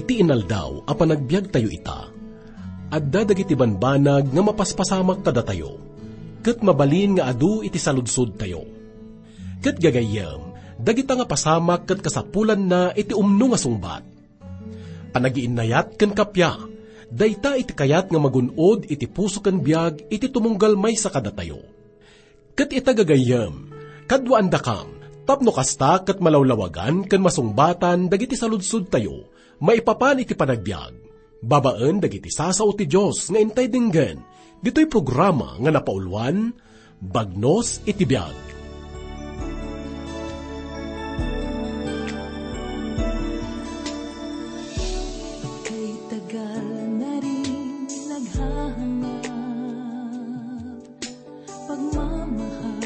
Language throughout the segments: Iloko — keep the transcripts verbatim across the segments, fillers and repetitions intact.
Iti inaldaw a panagbiagtayo ita, adda dagiti banbanag nga mapaspasamak kadatayo, ket mabalin nga adu iti saludsodtayo. Ket gagayyem, dagita nga pasamak ket kasapulanna iti umno nga sungbat. Panagiinnayat ken kappia, dayta iti kayat nga magun-od iti puso ken biag iti tumunggal maysa kadatayo. Ket ita gagayyem, kaduaandakam, tapno kasta ket malawlawagan ken masungbatan dagiti saludsodtayo maipapan iti panagbiag, babaen dagiti sasao ti Dios nga intay denggen, ditoy programa nga napauluan, Bagnos iti Biag. Kay tagal na rin naghahangad, pagmamahal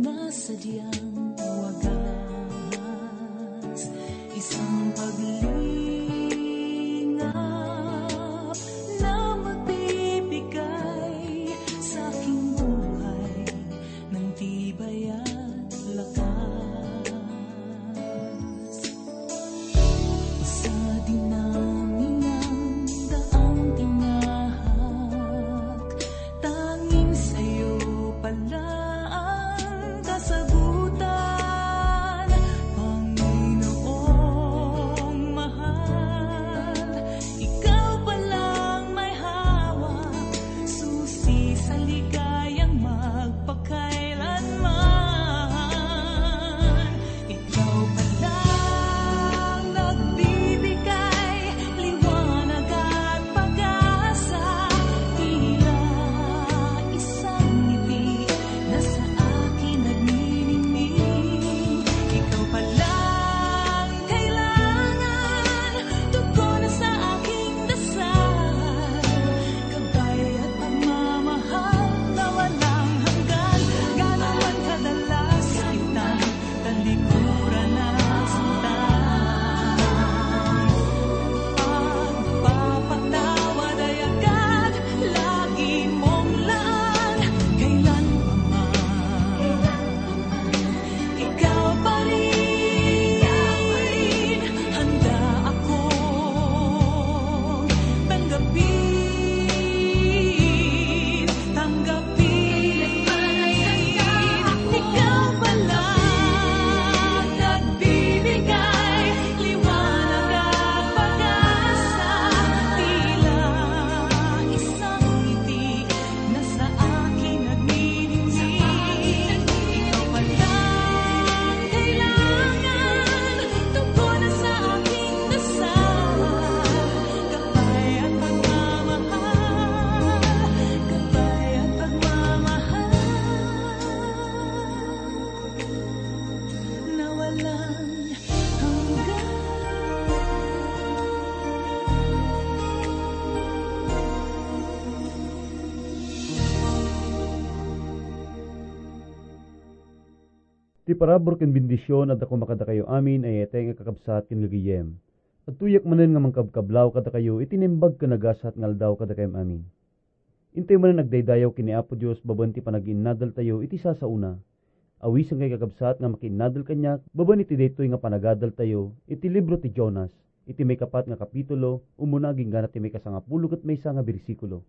na sadyang wagas, isang paglingap na magbibigay sa aking buhay ng tibay at lakas. Sa dinaminang daang tinahak, tanging sa'yo pala ang kasagutan. Panginoong mahal, ikaw palang may hawak, susi sa ligayang magpakailanman. Ikaw palang nagbibigay liwanag at pag-asa, tila isang ngiti na sa akin nagniningning. Ikaw palang kailangan, tugon sa aking dasal. Gabay at pagmamahal na walang hanggan, gaano man kadalas kitang talikuran at saktan. Pagpapatawad ay agad, lagi mong laan, kailan pa man. Ikaw pa rin, handa akong tanggapin, tanggapin. Ikaw pala nagbibigay liwanag at pag-asa, tila isang ngiti na sa akin nagniningning. Ikaw palang kailangan, tugon sa aking dasal. Gabay at pagmamahal, gabay at pagmamahal na walang hanggan. Ti parabur ken bendision adda koma kadakayo amin a yayaten nga kakabsat ken gagayyem. Agtuyak manen nga mangkabkablaw kadakayo iti naimbag ken nagasat nga aldaw kadakayam amin. Intayo manen agdaydayaw ken ni Apo Dios babaen ti panagiinnadaltayo iti sasaona. Awisen kay kakabsat nga makiinnadal kaniak babaen iti daytoy nga panagadaltayo iti libro ti Jonas, iti maikapat nga kapitulo, umuna agingga ti maikasangapulo ket maysa nga bersikulo.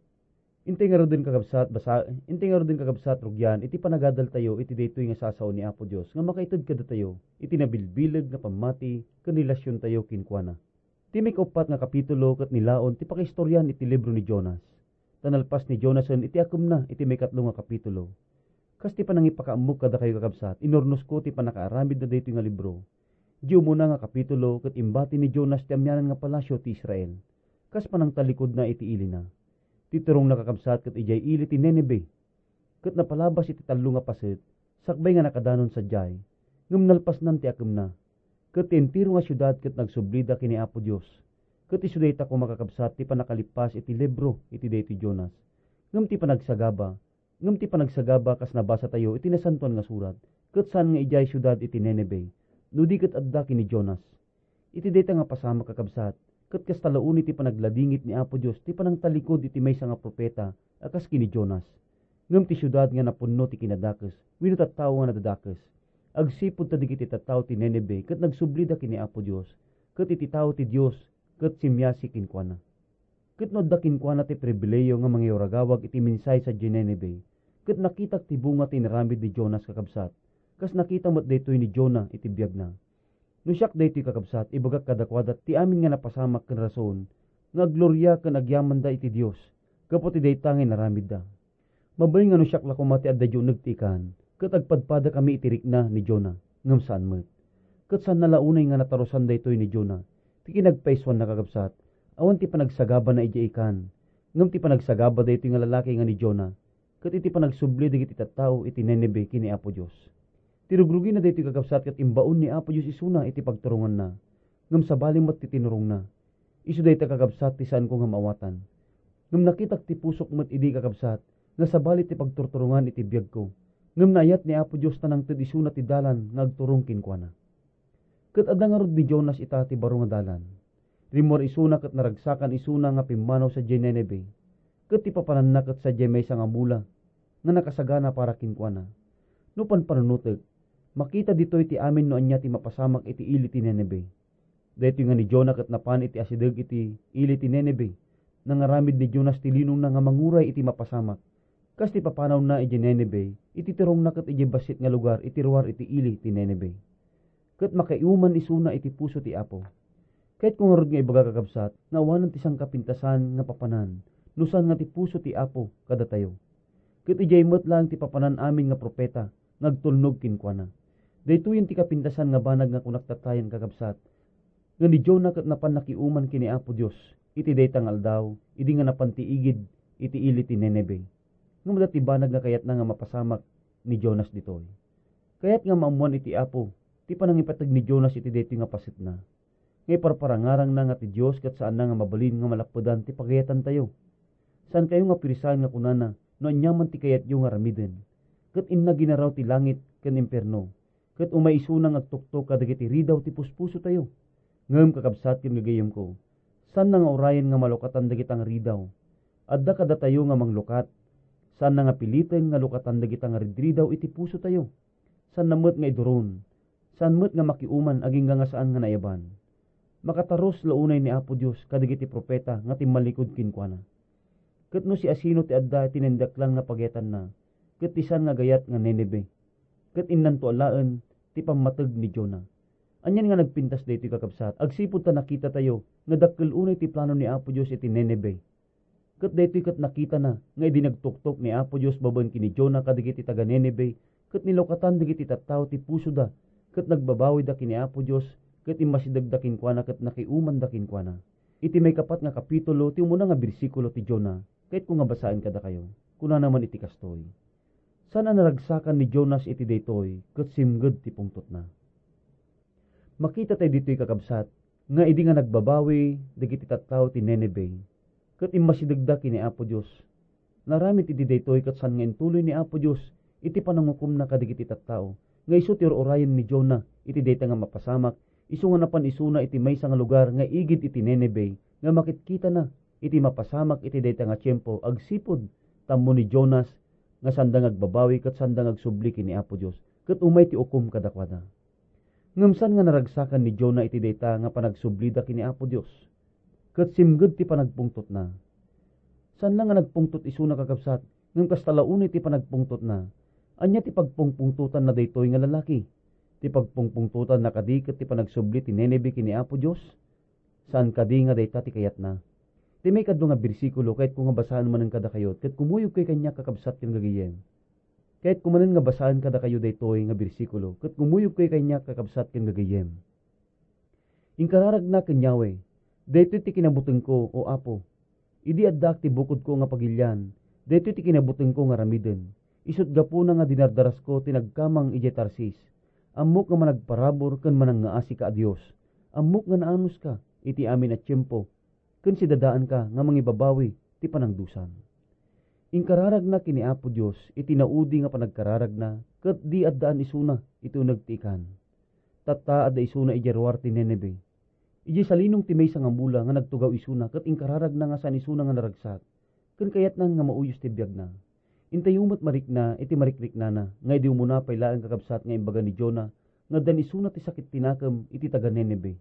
Intay ngaruden, kakabsat, basa-, intay ngaruden, kakabsat, rugian iti panagadaltayo iti daytoy nga sasao ni Apo Dios nga makaited kadatayo iti nabilbileg nga pammati ken relasiontayo kenkuana. Ti maikauppat nga kapitulo ket ni laon ti pakaistorian iti libro ni Jonas. Ta nalpas ni Jonasen iti akemna iti maikatlo nga kapitulo. Kas ti panangipakaammok kadakayo, kakabsat, inurnosko ti pannakaaramidna daytoy nga libro. Di umuna nga kapitulo ket imbati ni Jonas ti amianan nga palasio ti Israel, kas panangtalikodna iti ilina. Ti turongna, kakabsat, ket idiay ili ti Nineve. Ket napalabas iti tallo nga paset, sakbay nga nakadanon sadiay, ngem nalpasnan ti akemna. Ket ti entero nga siudad ket nagsublida ken ni Apo Dios. Ket isu dayta koma, kakabsat, ti pannakalippas iti libro iti daytoy Jonas. Ngem ti panagsagaba, ngem ti panagsagaba kas nabasatayo iti Nasantoan nga Surat, ket saan nga idiay siudad iti Nineve, no di ket adda ken ni Jonas. Iti dayta nga pasamak, kakabsat, ket kasta la unay ti panagladingit ni Apo Dios ti panangtalikod iti maysa nga profeta a kas ken ni Jonas. Ngem ti siudad nga napunno ti kinadakes wenno tattao nga nadadakes, agsipud ta dagiti tattao ti Nineve ket nagsublida ken ni Apo Dios, ket iti tao ti Dios ket simmiasi kenkuana. Ket no adda kenkuana ti pribilehiyo nga mangiuragawag iti mensahe sadiay Ninive, ket nakitak ti bunga ti inaramid ni Jonas, kakabsat, kas nakita met daytoy ni Jonah iti biagna. No siak daytoy, kakabsat, ibagak kadakuada ti amin nga napasamak ken rason nga aggloria ken agyamanda iti Dios gapu ti dayta nga inaramidda. Mabalin nga no siak la koma ti adda idiay uneg ti ikan, ket agpadpadakami iti rikna ni Jonah, ngem saan met. Ket saanna la unay nga natarusan daytoy ni Jonah ti kinagpaysuanna, kakabsat, awan ti panagsagabana idiay ikan, ngem ti panagsagaba daytoy nga lalaki nga ni Jonah, ket iti panagsubli dagiti tattao iti Ninive ken ni Apo Dios. Ti rugrugina daytoy, kakabsat, ket imbaon ni Apo Dios isuna iti pagturonganna, ngem sabali met ti tinurongna. Isu dayta, kakabsat, ti saanko nga maawatan. Ngem nakitak ti pusok met idi, kakabsat, nga sabali ti pagturturongan iti biagko. Ngem naayat ni Apo Dios ta nangted isuna ti dalan nga agturong kenkuana. Ket adda ngarud ni Jonas ita ti baro nga dalan. Rimmuar isuna ket naragsakan isuna nga pimmanaw sadiay Ninive, ket ti papananna ket sadiay maysa nga mula nga nakasagana para kenkuana. No panpanunotek, makita ditoy ti amin no ania ti mapasamak iti ili ti Ninive. Daytoy nga ni Jonah ket napan iti asideg iti ili ti Ninive. Nangaramid ni Jonas ti linongna nga manguray iti mapasamak, kas ti papanawna idiay Ninive, iti turongna ket idiay bassit nga lugar iti ruar iti ili ti Ninive. Ket makaiuman isuna iti puso ti Apo. Kayatko ngarud nga ibaga, kakabsat, nga awanen ti sangkapintasan nga papanan, no saan nga ti puso ti Apo kadatayo. Ket idiay met laeng ti papanan amin nga profeta nga agtulnog kenkuana. Daytoyen ti kapintasan nga banag nga kunak tattayen, kakabsat, nga ni Jonah ket napan nakiuman ken ni Apo Dios iti dayta nga aldaw, idi nga napan ti igid iti ili ti Ninive. Ngem adda ti banag nga kayatna nga mapasamak ni Jonas ditoy. Kayat nga maammoan iti Apo ti panangipateg ni Jonas iti daytoy nga pasetna, nga iparparangarangna nga ti Dios ket saanna nga mabalin nga malappedan ti pagayatantayo. Saankayo nga pirsaan nga kunana no aniaman ti kayatyo nga aramiden, ket inna ginaraw ti langit ken impierno, ket umay isuna nga agtuktok kadagiti ridaw ti puspusotayo. Ngem, kakabsat ken gagayyemko, saanna nga urayen nga malukatan dagita nga ridaw. Adda kadatayo nga manglukat. Saanna nga piliten nga lukatan dagita nga ridridaw iti pusotayo. Saanna met nga iduron. Saan met nga makiuman agingga nga saan nga naiyaban. Makatarus la unay ni Apo Dios kadagiti profeta nga timmallikud kenkuana. Ket no siasino ti adda iti naindaklan nga pagayatanna, ket ti saan nga agayat nga Ninive, ket innanto alaen ti pammateg ni Jonah. Anian nga nagpintas daytoy, kakabsat, agsipud ta nakitatayo nga dakkel unay ti plano ni Apo Dios iti Ninive. Ket daytoy ket nakitana nga idi nagtuktok ni Apo Dios babaen ken ni Jonah kadagiti taga-Ninive, ket nilukatan dagiti tattao ti pusoda, ket nagbabawida ken ni Apo Dios, ket immasidegda kenkuana ket nakiumanda kenkuana. Iti maikapat nga kapitulo, ti umuna nga bersikulo ti Jonah, kayatko nga basaen kadakayo. Kunana man iti kastoy: Saan a naragsakan ni Jonas iti daytoy, ket simged ti pungtotna. Makita tayo ditoy, kakabsat, nga idi nga nagbabawi dagiti tattao ti Ninive, ket immasidegda ken ni Apo Dios, naramid iti daytoy ket saan nga intuloy ni Apo Dios iti panangukomna kadagiti tattao, nga isu ti ur-urayen ni Jonah iti dayta nga mapasamak, isu nga napan isuna iti maysa nga lugar nga igid iti Ninive, nga makitkitana iti mapasamak iti dayta nga tiempo agsipud ta ammo ni Jonas nga saanda nga agbabawi ket saanda nga agsubli ken ni Apo Dios, ket umay ti ukom kadakuada. Ngem saan nga naragsakan ni Jonah iti dayta nga panagsublida ken ni Apo Dios, ket simged ti panagpungtotna. Saan la nga nagpungtot isuna, kakabsat, ngem kasta la unay ti panagpungtotna. Ania ti pagpungpungtotanna daytoy nga lalaki? Ti pagpungpungtotanna kadi ket ti panagsubli ti Ninive ken ni Apo Dios? Saan kadi nga dayta ti kayatna. Ti maikadua nga bersikulo, kayatko nga basaen manen kadakayo, ket kumuyogkayo kaniak, kakabsat ken gagayyem. Kayatko manen nga basaen kadakayo daytoy nga bersikulo, ket kumuyogkayo kaniak, kakabsat ken gagayyem. Inkararagna ken Yahweh, "Daytoy ti kinabutengko, O Apo. Idi addaak ti bukodko nga pagilian, daytoy ti kinabutengko nga aramiden. Isut' gapuna nga dinardarasko ti nagkamang idiay Tarsis. Ammok nga managparabur ken manangngaasika a Dios. Ammok nga naanuska iti amin a tiempo, ken sidadaanka nga mangibabawi ti panangdusam." Inkararagna ken ni Apo Dios iti naudi nga panagkararagna, ket di addaan isuna iti uneg ti ikan. Tatta, adda isuna idiay ruar ti Ninive. Idiay salinong ti maysa nga mula nga nagtugaw isuna ket inkararagna nga saan isuna nga naragsak, ken kayatna nga mauyos ti biagna. Intayo met marikna iti marikriknana nga idi umuna pay laeng, kakabsat, nga imbaga ni Jonah nga addan isuna ti sakit ti nakem iti taga-Ninive.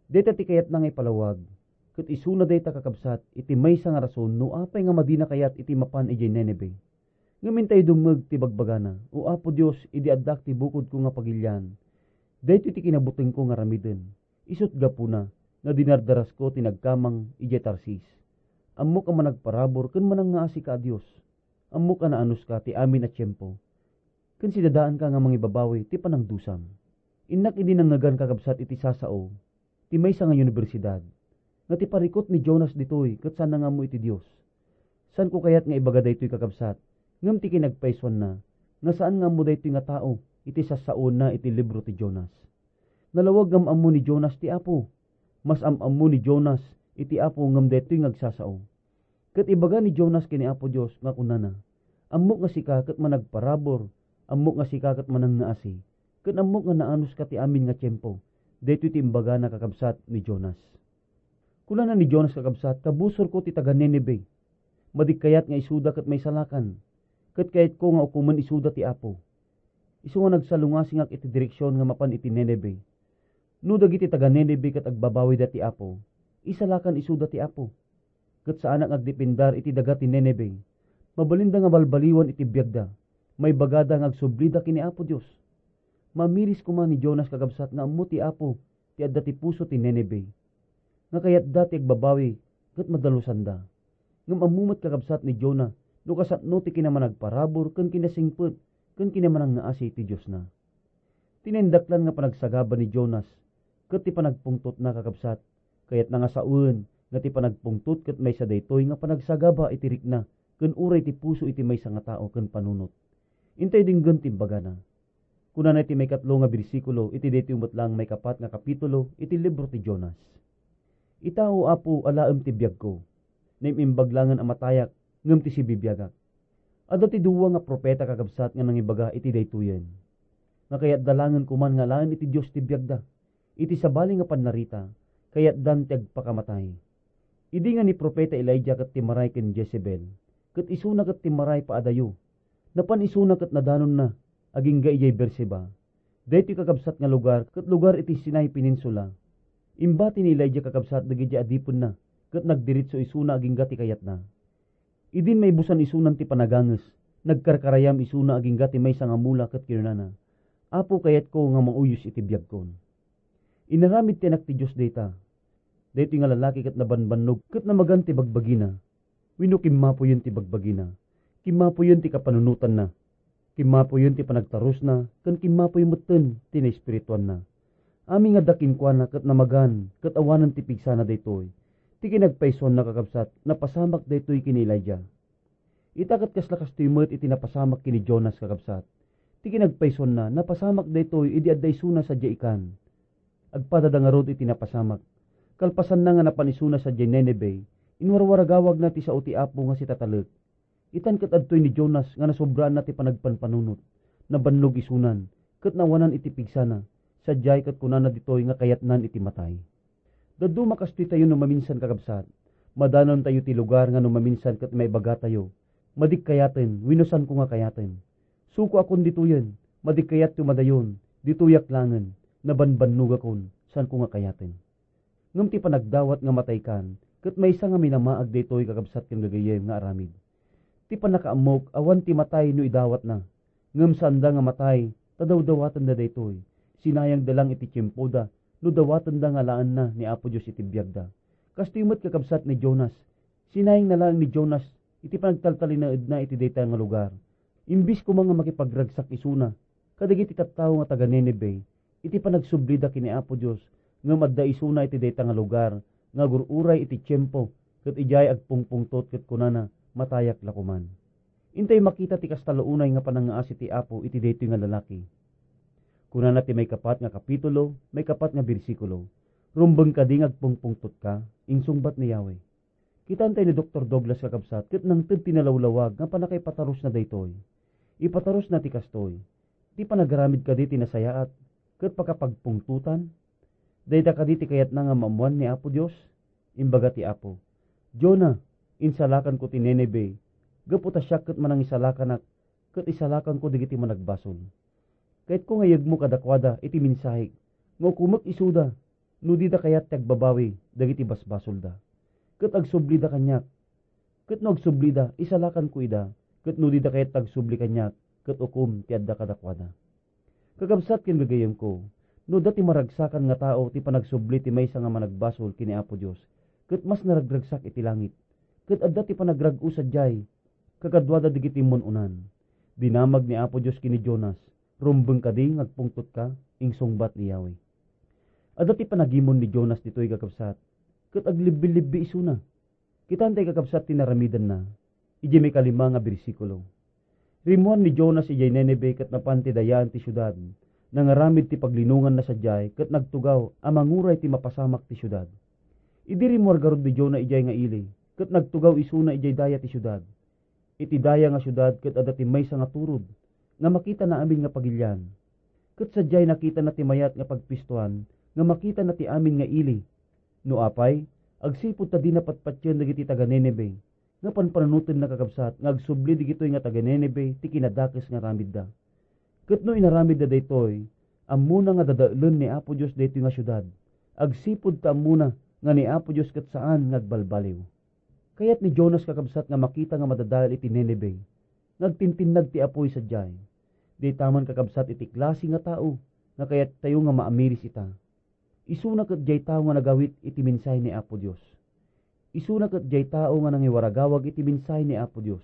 Dayta ti kayatna nga ipalawag, Isuna dayta, kakabsat, iti maysa nga rason no apay nga madina kayat iti mapan idiay Nineve. Ngem intay dumngeg ti bagbagana, "O Apo Dios, idi addak ti bukodko nga pagilian, daytoy ti kinabutengko nga aramiden. Isut' gapuna nga dinardarasko ti nagkamang idiay Tarsis. Ammok a managparabur ken manangngaasika a Dios. Ammok a naanuska ti amin a tiempo, ken sidadaanka nga mangibabawi ti panangdusam." Innak idi nangngegan, kakabsat, iti sasao ti maysa nga universidad nga ti parikut ni Jonas ditoy ket saanna nga ammo iti Dios. Saanko kayat nga ibaga daytoy, kakabsat, ngem ti kinagpaysuanna nga saan nga ammo daytoy nga tao iti sassaona iti libro ti Jonas. Nalawag nga am-ammo ni Jonas ti Apo. Mas am-ammo ni Jonas iti Apo ngem daytoy nga agsasao. Ket ibaga ni Jonas ken ni Apo Dios nga kunana, "Ammok nga sika ket managparabur, ammok nga sika ket manangngaasi, ken ammok nga naanuska ti amin nga tiempo." Daytoy ti imbagana, kakabsat, ni Jonas. Kunana ni Jonas, kakabsat, "Kabusorko ti taga-Nineve. Madi kayat nga isuda ket maisalakan, ket kayatko nga ukomen isuda ti Apo. Isu nga nagsalungasingak iti direksion nga mapan iti Nineve. No dagiti taga-Nineve ket agbabawida ti Apo, isalakan isuda ti Apo. Ket saanak nga agdependar iti daga ti Nineve. Mabalinda nga balbaliwan iti biagda. Maibagada nga agsublida ken ni Apo Dios." Mamiris koma ni Jonas, kakabsat, nga ammo ti Apo ti adda ti puso ti Nineve, nga kayatda ti agbabawi ket madalosanda. Ngem ammo met, kakabsat, ni Jonah no kasano ti kinamanagparabur ken kinasingpet ken kinamanangngaasi ti Diosna. Ti naindaklan nga panagsagaba ni Jonas ket ti panagpungtotna, kakabsat, kayatna nga sawen nga ti panagpungtot ket maysa daytoy nga panagsagaba iti rikna ken uray ti puso iti maysa nga tao ken panunot. Intay denggen ti imbagana. Kunana iti maikatlo nga bersikulo iti daytoy met laeng maikapat nga kapitulo iti libro ti Jonas, "Ita, O Apo, alaem ti biagko. Naim-imbag laengen a matayak, ngem ti sibibiagak." Adda ti dua nga profeta, kakabsat, nga nangibaga iti daytoyen, nga kayatda laengen koman nga alaen iti Dios ti biagda. Iti sabali nga pannarita, kayatdan ti agpakamatay. Idi nga ni profeta Elijah ket timmaray ken Jezebel, ket isuna ket timmaray paadayo, napan isuna ket nadanonna agingga idiay Beerseba. Daytoy, kakabsat, nga lugar ket lugar iti Sinai Peninsula. Imbati ni Elijah, kakabsat, dagiti adipenna ket nagdiretso isuna agingga ti kayatna. Idin maibusan isunan ti panaganges, nagkarkarayam isuna agingga ti maysa nga mula ket kinunana, "Apo, kayatko nga mauyos iti biagkon." Inaramid ti Anak ti Dios dayta. Daytoy nga lalaki ket nabanbannog ket namagan ti bagbagina. Wenno, kimmapoyen ti bagbagina. Kimmapoyen ti kapanunotanna. Kimmapoyen ti panagtarusna, ken kimmapoy metten ti naespirituanna. Amin nga adda kenkuana ket namagan ket awanen ti pigsana daytoy ti kinagpaysuanna, kakabsat, napasamak daytoy ken ni Elijah. Ita ket kasla kastoy met iti napasamak ken ni Jonas, kakabsat. Ti kinagpaysuanna, napasamak daytoy idi adda isuna sadiay ikan. Agpadada ngarud iti napasamak. Kalpasanna nga napan isuna sadiay Nineve, inwarwaragawagna ti sao ti Apo nga sitatalek. Itan ket adtoy ni Jonas nga nasobraanna ti panagpanpanunot. Nabannog isunan, ket nawanan iti pigsana, sadiay ket kunana ditoy nga kayatnan iti matay. Dadduma kastoy tayo no maminsan, kakabsat. Madanon tayo ti lugar nga no maminsan ket maibaga tayo, "Madik kayaten," wenno, "Saanko nga kayaten." Sukoakon ditoyen, "Madik kayatyo madayon, ditoyak laengen, nabanbannogakon, saanko nga kayaten." Ngem ti panagdawat nga mataykan, ket maysa nga minamaag daytoy, kakabsat ken gagayyem nga aramid. Ti pannakaammok, awan ti matay no idawatna. Ngem saanda nga matay, ta dawdawatenda daytoy. Sinayangda lang iti tiempoda no dawatenda nga alaenna ni Apo Dios iti biagda. Kastoy met, kakabsat, ni Jonas. Sinayangna laeng ni Jonas iti panagtaltalinaedna iti dayta nga lugar. Imbis koma nga makipagragsak isuna kadagiti tattao nga taga-Nineve iti panagsublida ken ni Apo Dios, ngem adda isuna iti dayta nga lugar nga agur-uray iti tiempo, ket idiay agpungpungtot ket kunana, "Matayak la koman." Intay makita ti kasta la unay nga panangngaasi ti Apo iti daytoy nga lalaki. Kunana ti maikapat nga kapitulo, maikapat nga bersikulo, "Rumbeng kadi nga agpungpungtotka?" insungbat ni Yahweh. Kitaentayo ni Doktor Douglas, kakabsat, ket nangted ti nalawlawag nga pannakaipatarusna daytoy. Ipatarusna ti kastoy, "Ti panagaramid kadi ti nasayaat ket pakapagpungtotan? Dayta kadi ti kayatna nga maammoan ni Apo Dios?" Imbaga ti Apo, "Jonah, insalakanko ti Nineve gapu ta siak ket manangisalakanak ket isalakanko dagiti managbasol. Kayatko nga iyegmo kadakuada iti mensahek nga ukomek isuda no dida kayat ti agbabawi dagiti basbasolda." ket agsublida kaniak. Ket no agsublida, isalakanko ida, ket no dida kayat agsubli kaniak, ket ukom ti adda kadakuada. Kakabsat ken gagayyemko, no adda ti maragsakan nga tao ti panagsubli ti maysa nga managbasol ken ni Apo Dios, ket mas naragragsak iti langit, ket adda ti panagrag-o sadiay, kakaduada dagiti mun-unan. Dinamag ni Apo Dios ken ni Jonas, "Rumbeng kadi nga agpungtotka?" insungbat ni Yahweh. Adda ti panagimon ni Jonas ditoy, kakabsat, ket aglibbilibbi isuna. Kitaen tay, kakabsat, ti naramidenna idiay maikalima nga bersikulo. Rimmuar ni Jonas idiay Nineve ket napan ti dayaan ti siudad. Nangaramid ti paglinonganna sadiay ket nagtugaw a manguray ti mapasamak ti siudad. Idi rimmuar garud ni Jonah idiay nga ili, ket nagtugaw isuna idiay daya ti siudad. Iti daya nga siudad ket adda ti maysa nga turod nga makitana amin nga pagilian. Ket sadiay nakitana ti mayat nga pagpistoan nga makitana ti amin nga ili. No apay, agsipud ta dina patpatien dagiti taga-Nineve, nga panpanunotenna, kakabsat, nga agsubli dagitoy nga taga-Nineve ti kinadakes nga aramidda. Ket no inaramidda daytoy, ammona nga dadaelen ni Apo Dios daytoy nga siudad, agsipud ta ammona nga ni Apo Dios ket saan nga agbalbaliw. Kayat ni Jonas, kakabsat, nga makita nga madadael iti Nineve, nga agtintinnag ti apuy sadiay. Dayta man, kakabsat, iti klase nga tao nga kayattayo nga maamiris ita. Isuna ket diay tao nga nagawit iti mensahe ni Apo Dios. Isuna ket diay tao nga nangiwaragawag iti mensahe ni Apo Dios.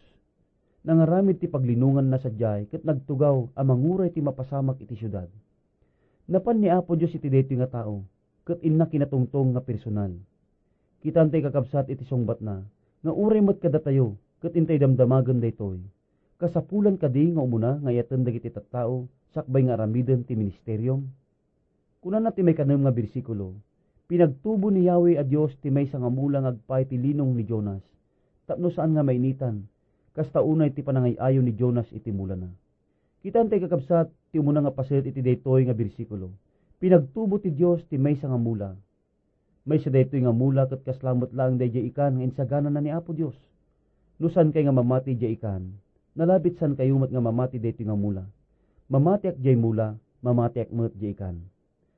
Nangaramid ti paglinonganna sadiay ket nagtugaw a manguray ti mapasamak iti siudad. Napan ni Apo Dios iti daytoy nga tao, ket inna kinatungtong nga personal. Kitaen tay, kakabsat, iti sungbatna nga uray met kadatayo ket intay damdamagen daytoy, kasapulan kadi nga umuna nga ayaten dagiti tattao sakbay nga aramiden ti ministeriom? Kunana ti maikanem nga bersikulo, "Pinagtubo ni Yahweh a Dios ti maysa nga mula nga agpaay ti linong ni Jonas, tapno saan nga mainitan, kasta unay ti panangay-ayo ni Jonas iti mulana." Kitaen tay, kakabsat, ti umuna nga paset iti daytoy nga bersikulo. Pinagtubo ti Dios ti maysa nga mula. Maysa daytoy nga mula ket kasla met laeng daydiay ikan nga insaganana ni Apo Dios. No saankay nga mamati idiay ikan, nalabit saankayo met nga mamati daytoy nga mula. Mamatiak diay mula, mamatiak met diay ikan.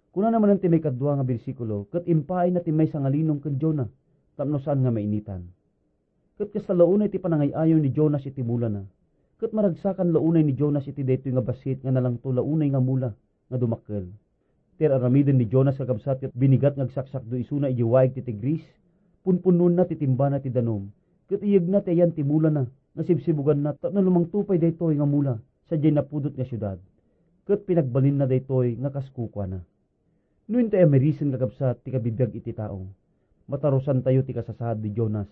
Kunana manen ti maikadua nga bersikulo, ket impaayna ti maysa nga linong ken Jonah, tapno saan nga mainitan. Ket kasta la unay ti panangay-ayo ni Jonas iti mulana. Ket maragsakan la unay ni Jonas iti daytoy nga bassit nga nalangto la unay nga mula nga dumakkel. Ti ar-aramiden ni Jonas, kakabsat, ket binigat nga agsaksakdo isuna idiay waig ti Tigris. Punpunnoenna ti timbana ti danum, ket iyegna ti ayan ti mulana nga sibsibuganna tapno lumangto pay daytoy nga mula sadiay napudot nga siudad, ket pinagbalinna daytoy nga kas kukuana. No intay amirisen, kakabsat, ti kabibiag iti tao, matarusantayo ti kasasaad ni Jonas.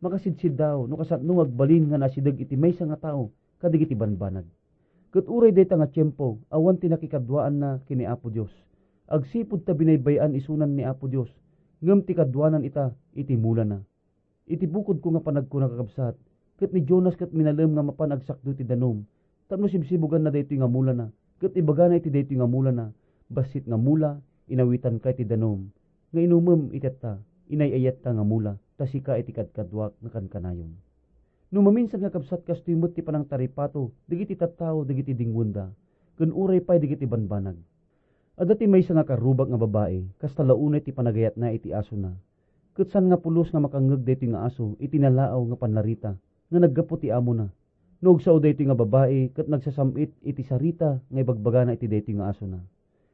Makasidsiddaw no kasano nga agbalin nga naasideg iti maysa nga tao kadagiti banbanag. Ket uray dayta nga tiempo, awan ti nakikaduaanna ken ni Apo Dios. Agsipud ta binaybay-an isunan ni Apo Dios, ngem ti kaduanan ita iti mulana. Iti bukodko nga panagkuna, kakabsat, ket ni Jonas ket minalem nga mapan agsakdo iti danum, tapno sibsibuganna daytoy nga mulana, ket ibagana iti daytoy nga mulana, "Bassit nga mula, inawitanka iti danum, nga inumem iti atta, inay-ayatka nga mula, ta sika iti kadkaduak nga kankanayon." No maminsan, kakabsat, kastoy met ti panangtaripato dagiti tattao dagiti dingwenda, ken uray pay dagiti banbanag. Adda ti maysa nga karrubak nga babai, kasta la unay ti panagayatna iti asona. Ket saan nga pulos nga makangngeg daytoy nga aso iti nalaaw nga pannarita nga naggapu ti amona. No agsao daytoy nga babai ket nagsasam-it iti sarita nga ibagbagana iti daytoy nga asona,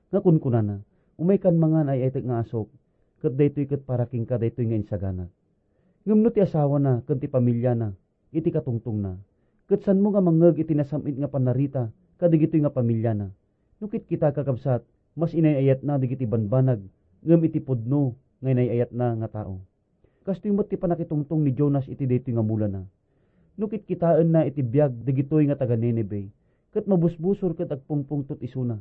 nga kunkunana, "Umaykan mangan, ay-ayatek nga asok, ket daytoy ket para kenka daytoy nga insaganak." Ngem no ti asawana ken ti pamiliana iti katungtongna, ket saanmo nga mangngeg iti nasam-it nga pannarita kadagitoy nga pamiliana, no kitkita, kakabsat, mas inay-ayatna dagiti banbanag ngem iti pudno nga inay-ayatna nga tao. Kastoy met ti pannakitungtong ni Jonas iti daytoy nga mulana. No kitkitaenna iti biag dagitoy nga taga-Nineve, ket mabusbusor ket agpungpungtot isuna.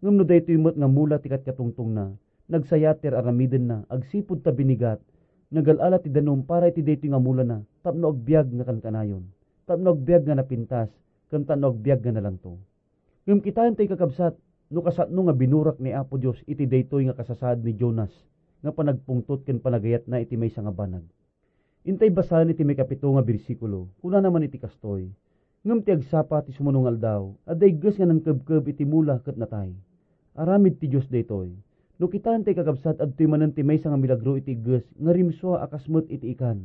Ngem no daytoy met nga mula ti katkatungtongna, nagsayat ti ar-aramidenna agsipud ta binigat, nagal-ala ti danum para iti daytoy nga mulana tapno agbiag nga kankanayon, tapno agbiag nga napintas, ken tapno agbiag nga nalangto. Ngem kitaentayo, kakabsat, no kasano nga binurak ni Apo Dios iti daytoy nga kasasaad ni Jonas nga panagpungtot ken panagayatna iti maysa nga banag. Intay basaen iti maikapito nga bersikulo. Kunana man iti kastoy, "Ngem ti agsapa ti sumuno nga aldaw, adda igges nga nangkebkeb iti mula ket natay. Aramid ti Dios daytoy. No kitaentayo, kakabsat, adtoy manen ti maysa nga milagro iti igges nga rimsua a kas met iti ikan.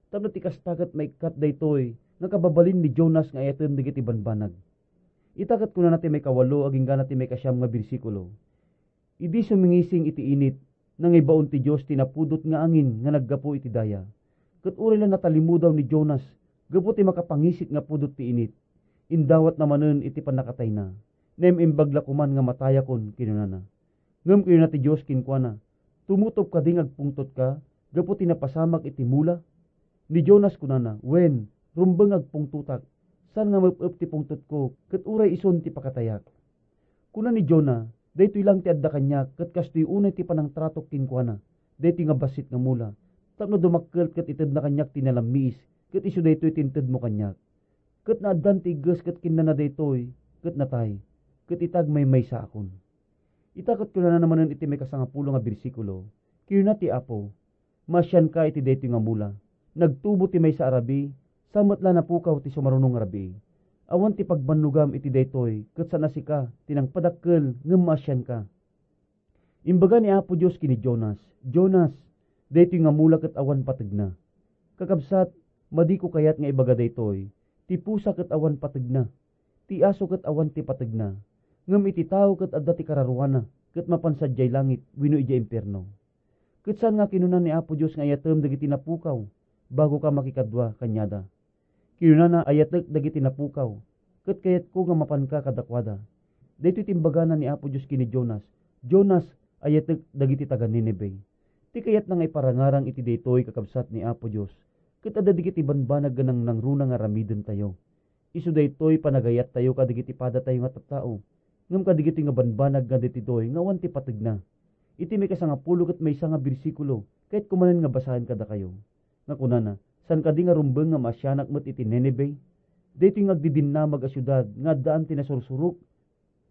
Tapno ti kasta ket maikkat daytoy nga kababalin ni Jonas nga ayaten dagiti banbanag. Ita ket kunana ti maikawalo agingga ti maikasiam nga bersikulo, "Idi sumingising iti init, nangibaon ti Dios ti napudot nga angin nga naggapu iti daya. Ket uray la natalimudaw ni Jonas gapu ti makapangisit nga pudot ti init, indawatna manen iti pannakatayna. Naim-imbag la koman nga matayakon," kinunana. Ngem kinuna ti Dios kenkuana, "Tumutob kadi nga agpungtotka gapu ti napasamak iti mula?" Ni Jonas kunana, "Wen, rumbeng nga agpungtotak. Saan nga mep-ep ti pungtotko, ket uray isun ti pakatayak." Kuna ni Jona, "Daytoy lang ti adda kaniak, ket kastoy unay ti panangtratok kenkuana, daytoy nga bassit nga mula, tapno dumakkel ket itedna kaniak ti nalammiis, ket isu daytoy ti intedmo kaniak." Ket naaddan ti igges ket kinnana daytoy, ket natay, ket ita agmaymaysaakon. Ita ket kunana manen iti maikasangapulo nga bersikulo, "Kinuna ti Apo, 'Maasianka iti daytoy nga mula. Nagtubo ti maysa a rabii, sa met la napukaw ti sumaruno nga rabii. Awan ti pagbannogam iti daytoy, ket saan a sika ti nangpadakkel ngem maasianka.'" Imbaga ni Apo Dios ken ni Jonas, "Jonas, daytoy nga mula ket awan pategna. Kakabsat, madiko kayat nga ibaga daytoy, ti pusa ket awan pategna, ti aso ket awan ti pategna, ngem iti tao ket adda ti kararuana ket mapan sadiay langit wenno idiay impierno. Ket saan nga kinuna ni Apo Dios nga ayatem dagiti napukaw bago ka makikadua kaniada. Kinunana, 'Ayatek dagiti napukaw, ket kayatko nga mapanka kadakuada.'" Daytoy ti imbagana ni Apo Dios ken ni Jonas, "Jonas, ayatek dagiti taga-Nineve." Ti kayatna nga iparangarang iti daytoy, kakabsat, ni Apo Dios, ket adda dagiti banbanag nga nangnangruna nga aramidentayo. Isu daytoy panagayattayo kadagiti padatayo nga tattao, ngem kadagitoy nga banbanag nga ditoy nga awan ti pategna. Iti maikasangapulo ket maysa nga bersikulo, kayatko manen nga basaen kadakayo, nga kunana, "Saan kadi nga rumbeng nga maasianak met iti Nineve? Daytoy nga agdidinnamag a siudad nga addaan ti nasursurok,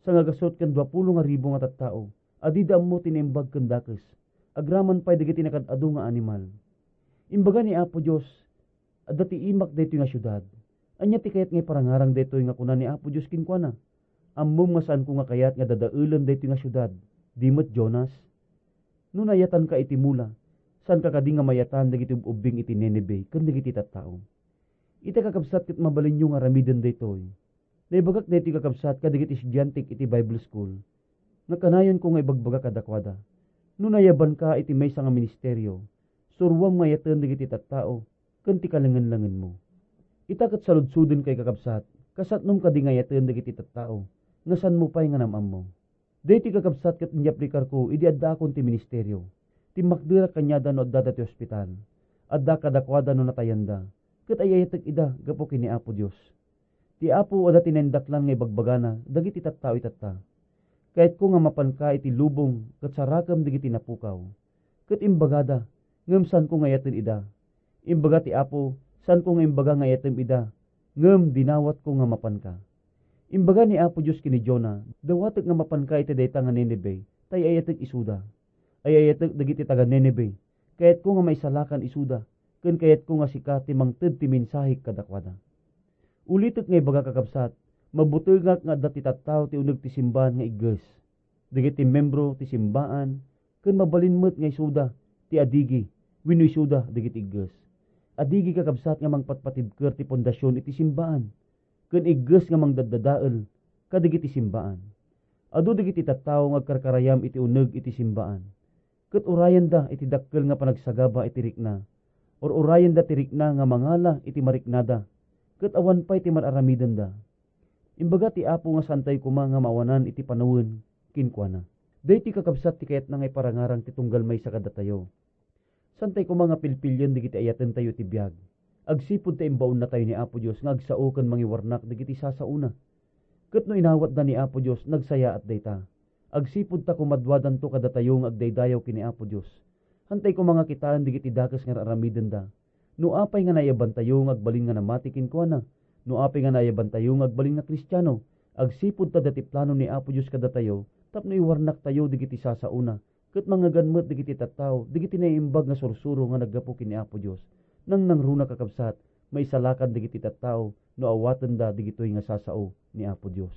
sangagasut ken duapulo nga ribu nga tattao a dida ammo ti naimbag ken dakes, agraman pay dagiti nakad-adu nga animal." Imbaga ni Apo Dios, "Adda ti imak daytoy nga siudad. Ania ti kayat nga iparangarang daytoy nga kuna ni Apo Dios kenkuana? Ammom nga saanko nga kayat nga dadaelen daytoy nga siudad, di met, Jonas? No nayatanka iti mula, saanka kadi nga mayatan dagiti ub-ubbing iti Nineve ken dagiti tattao?" Ita, kakabsat, ket mabalinyo nga aramiden daytoy. Naibagak daytoy, kakabsat, kadagiti estudiantek iti Bible School, nga kanayonko nga ibagbaga kadakuada, "No nayabanka iti maysa nga ministerio, suroam nga ayaten dagiti tattao ken ti kalengenlengenmo." Ita ket saludsodenkayo, kakabsat, kasatnom kadi nga ayaten dagiti tattao nga saanmo pay nga nam-ammo. Daytoy, kakabsat, ket inyaplikarko idi addaakon ti ministerio. Timmakderak kaniada no addada ti ospital. Addaak kadakuada no natayanda, ket ay-ayatek ida gapu ken ni Apo Dios. Ti Apo adda ti naindaklan nga ibagbagana dagiti tattao itatta. "Kayatko nga mapanka iti lubong ket sarakem dagiti napukaw." Ket imbagada, ngem saanko nga ayaten ida. Imbaga ti Apo, "Saanko nga imbaga nga ayatem ida, ngem dinawatko nga mapanka." Imbaga ni Apo Dios ken ni Jona, "Dawatek nga mapanka iti dayta nga Nineve, ta ay-ayatek isuda. Ay-ayatek dagiti taga-Nineve. Kayatko nga maisalakan isuda, ken kayatko nga sika ti mangted ti mensahek kadakuada." Ulitek nga ibaga, kakabsat, mabutengak nga adda ti tattao ti uneg ti simbaan nga igges. Dagiti membro ti simbaan, ken mabalin met nga isuda ti adigi wenno isuda dagiti igges. Adigi, kakabsat, nga mangpatpatibker ti pundasion iti simbaan, ken igges nga mangdaddadael kadagiti simbaan. Adu dagiti tattao nga agkarkarayam iti uneg iti simbaan, ket urayenda iti dakkel nga panagsagaba iti rikna, ur-urayenda ti rikna nga mangala iti mariknada, ket awan pay ti mar-aramidenda. Imbaga ti Apo nga saantayo koma nga maawanan iti panawen kenkuana. Daytoy, kakabsat, ti kayatna nga iparangarang ti tunggal maysa kadatayo. Saantayo koma nga pilpilien dagiti ayatentayo iti biag. Agsipud ta imbaonnatayo ni Apo Dios nga agsao ken mangiwarnak dagiti sasaona. Ket no inawatda ni Apo Dios, nagsayaat dayta. Agsipud ta kumaduadanto kadatayo nga agdaydayaw ken ni Apo Dios. Saantayo koma nga kitaen dagiti dakes nga ar-aramidenda. No apay nga naayabantayo nga agbalin nga namati kenkuana, no apay nga naayabantayo nga agbalin nga Kristiano, agsipud ta adda ti plano ni Apo Dios kadatayo tapno iwarnaktayo dagiti sasaona, ket mangngegan met dagiti tattao dagiti naimbag nga sursuro nga naggapu ken ni Apo Dios. Nangnangruna, kakabsat, maisalakan dagiti tattao no awatenda dagitoy nga sasao ni Apo Dios.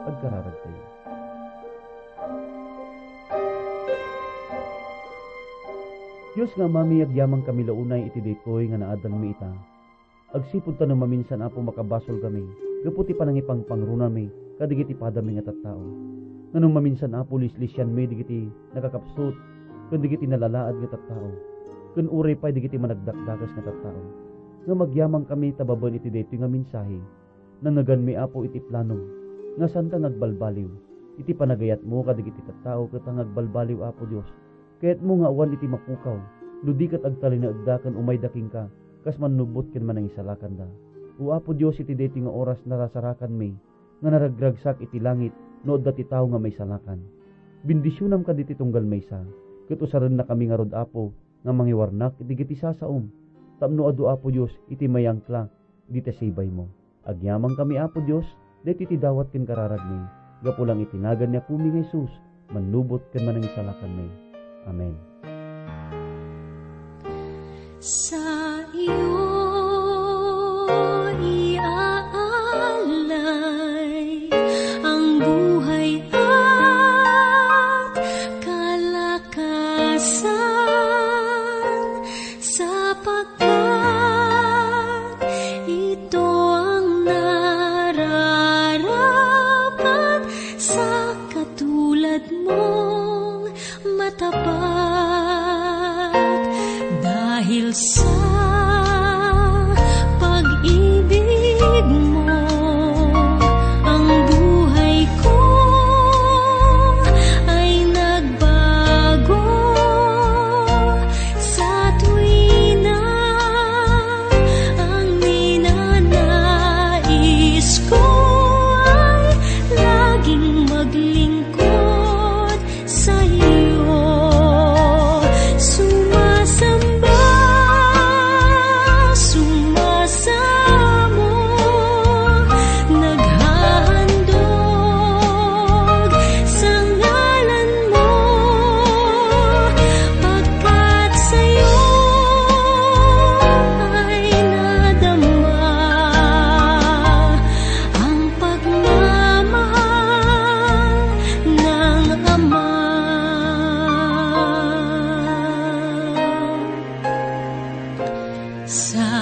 Agkararagtayo. Dios nga Amami, agyamankami la unay iti daytoy nga naadalmi ita. Agsipud ta no maminsan, Apo, makabasolkami gapu ti panangipangpangronami kadagiti padami nga tattao. Ngem no maminsan, Apo, lislisianmi dagiti nakakapsut ken dagiti nalalaad nga tattao, ken uray pay dagiti managdakdakes nga tattao. Ngem agyamankami ta babaen iti daytoy nga mensahe, nangngeganmi, Apo, iti planom nga saanka nga agbalbaliw. Iti panagayatmo kadagiti tattao ket nga agbalbaliw, Apo Dios, kayatmo nga awan iti mapukaw no di ket agtalinaedda ken umayda kenka kas mannubot ken manangisalakanda. O Apo Dios, iti daytoy nga oras narasarakanmi nga naragragsak iti langit no adda ti tao nga maisalakan. Bendisionam kadagiti tunggal maysa, ket usarennakami ngarud, Apo, nga mangiwarnak iti dagiti sasaom, tapno adu, Apo Dios, iti mayangkla dita sibaymo. Agyamankami, Apo Dios, daytoy ti dawat ken kararagmi, gapu lang iti nagan ni Apomi nga Jesus, mannubot ken manangisalakanmi. Amen. Sa iyo iaalay ang buhay at kalakasan, sapagkat ito ang nararapat sa katulad mong matapat. Dahil sa pag-ibig mo, ang buhay ko ay nagbago. Sa tuwina, ang ninanais ko ay laging maglingkod sa iyo. Sumasamba, sumasamo, naghahandog sa ngalan mo, pagkat sa iyo ay nadama ang pagmamahal ng Ama. Sa